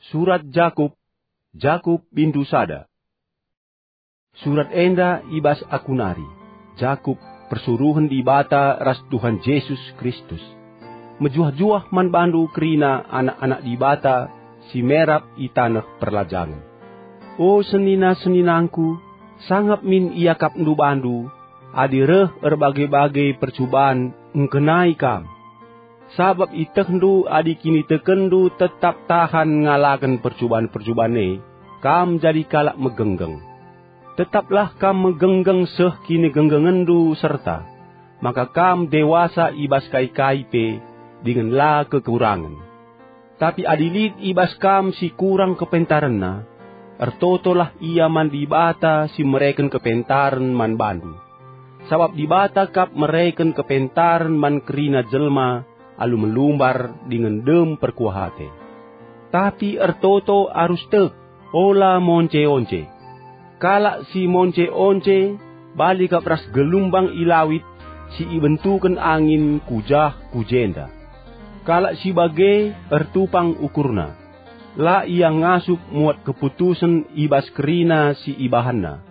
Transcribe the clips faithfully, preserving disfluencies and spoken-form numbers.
Surat Jakup, Jakup bindu sada. Surat enda i bas aku nari, Jakup, persuruhen Dibata ras Tuhan Jesus Kristus. Mejuah-juah man bandu kerina anak-anak Dibata si merap i taneh perlajangen. O senina-seninangku, sangap min iakapndu bandu, adi reh erbage-bage percuban ngkenai kam. Sabap itehndu adi kinitekenndu tetap tahan ngalaken percuban-percuban e, kam jadi kalak megenggeng. Tetaplah kam megenggeng seh kinigenggengenndu serta, maka kam dewasa i bas kai-kai pe dingen la kekurangen. Tapi adi lit i bas kam si kurang kepentarenna, ertotolah ia man Dibata si mereken kepentaren man bandu. Sabap Dibata kap mereken kepentaren man kerina jelma alu melumbar dingen dem perkuah ate. Tapi ertoto arus tek, ola monce-once. Kalak si monce-once bali kap ras gelumbang i lawit si ibentuken angin ku jah ku jenda. Kalak si bage ertupang ukurna. La ia ngasup muat keputusen i bas kerina si ibahanna.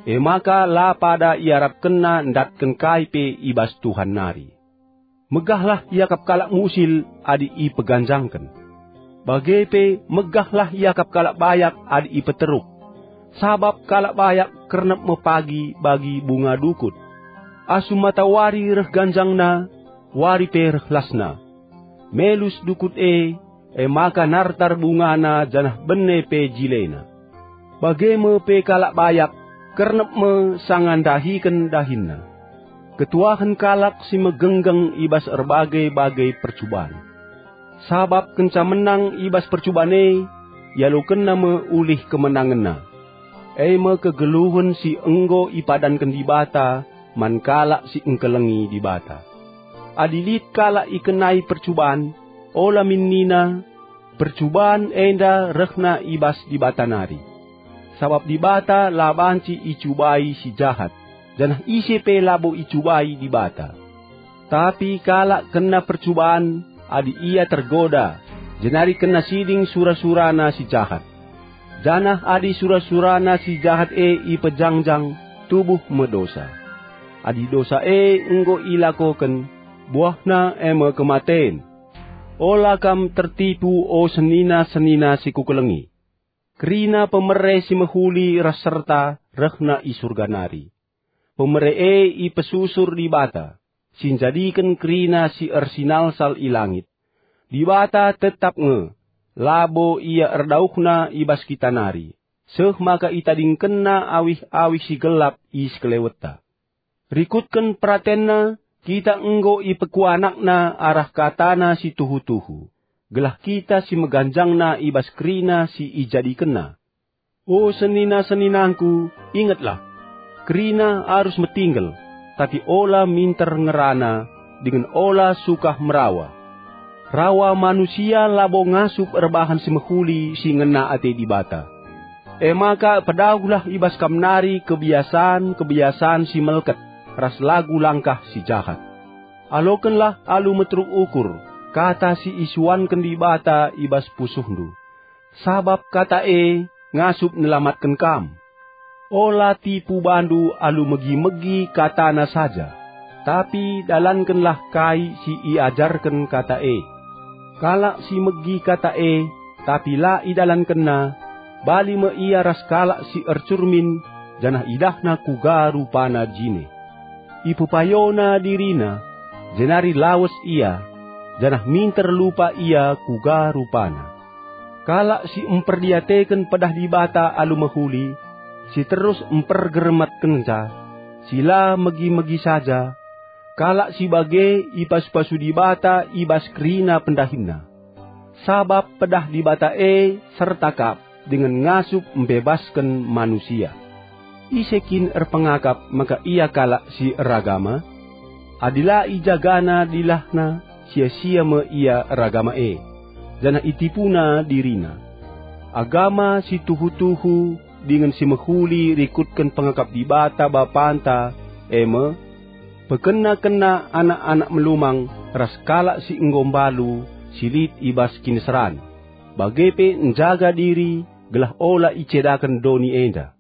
E maka la pada iarapkenna ndatken kai pe i bas Tuhan nari. Megahlah iakap kalak musil adi ipeganjangken. Bage pe megahlah iakap kalak bayak adi ipeteruk. Sabap kalak bayak kernep me pagi bagi bunga dukut. Asum matawari reh ganjangna, wari pe reh lasna. Melus dukut e, e maka nartar bungana janah bene pe jilena. Bage me pe kalak bayak, kernep me sanga ndahiken dahinna. Ketuahen kalak si megenggeng i bas erbage-bage percuban. Sabap kenca menang i bas percuban e, ialokenna me ulih kemenangenna. E me kegeluhen si enggo ipadanken Dibata man kalak si engkelengi Dibata. Adi lit kalak ikenai percuban, ola min nina, "Percuban enda rehna i bas Dibata nari." Sabap Dibata la banci icubai si jahat, janah ise pe labo icubai Dibata. Tapi kalak kena percuban adi ia tergoda, jenari kena siding sura-surana si jahat. Janah adi sura-surana si jahat e ipejangjang, tubuh me dosa. Adi dosa e enggo ilakoken, buahna e me kematen. Ola kam tertipu, o senina-senina si kukelengi. Kerina pemere si mehuli ras serta rehna i Surga nari. Pemere e ipesusur Dibata, si njadiken kerina si ersinalsal i langit. Dibata tetap nge, labo Ia erdauhna i bas kita nari, seh maka itadingkenNa awih-awih si gelap i sekelewetta. Rikutken peratenNa, kita enggo ipekuanakNa arah kataNa si tuhu-tuhu, gelah kita si meganjangna i bas kerina si ijadikenNa. O senina-seninangku, ingetlah! Kerina arus metinggel, tapi ola minter ngerana, dingen ola sukah merawa. Rawa manusia labo ngasup erbahan si mehuli si ngena ate Dibata. E maka pedauhlah i bas kam nari kebiasan-kebiasan si melket ras lagu langkah si jahat. Alokenlah alu meteruk ukur kata si isuanken Dibata i bas pusuhndu, sabap kata e ngasup nelamatken kam. Ola tipu bandu alu megi-megi katana saja, tapi dalankenlah kai si iajarken kata e. Kalak si megi kata e, tapi la idalankenna, bali me ia ras kalak si ercurmin, janah idahna kuga rupana jine. Ipepayona dirina, jenari lawes ia, janah minter lupa ia kuga rupana. Kalak si mperdiateken pedah Dibata alu mehuli, si terus mpergermetkenca, si la megi-megi saja, kalak si bage ipasu-pasu Dibata i bas kerina pendahinna. Sabap pedah Dibata e serta kap dingen ngasup mbebasken manusia. Ise kin erpengakap maka ia kalak si eragama? Adi la ijagana dilahna, sia-sia me ia eragama e, janah itipuna dirina. Agama si tuhu-tuhu dingen si mehuli rikutken pengakap Dibata Bapanta, e me, pekena-kena anak-anak melumang ras kalak si enggo mbalu si lit i bas kiniseran. bage pe njaga diri gelah ola icedaken doni enda.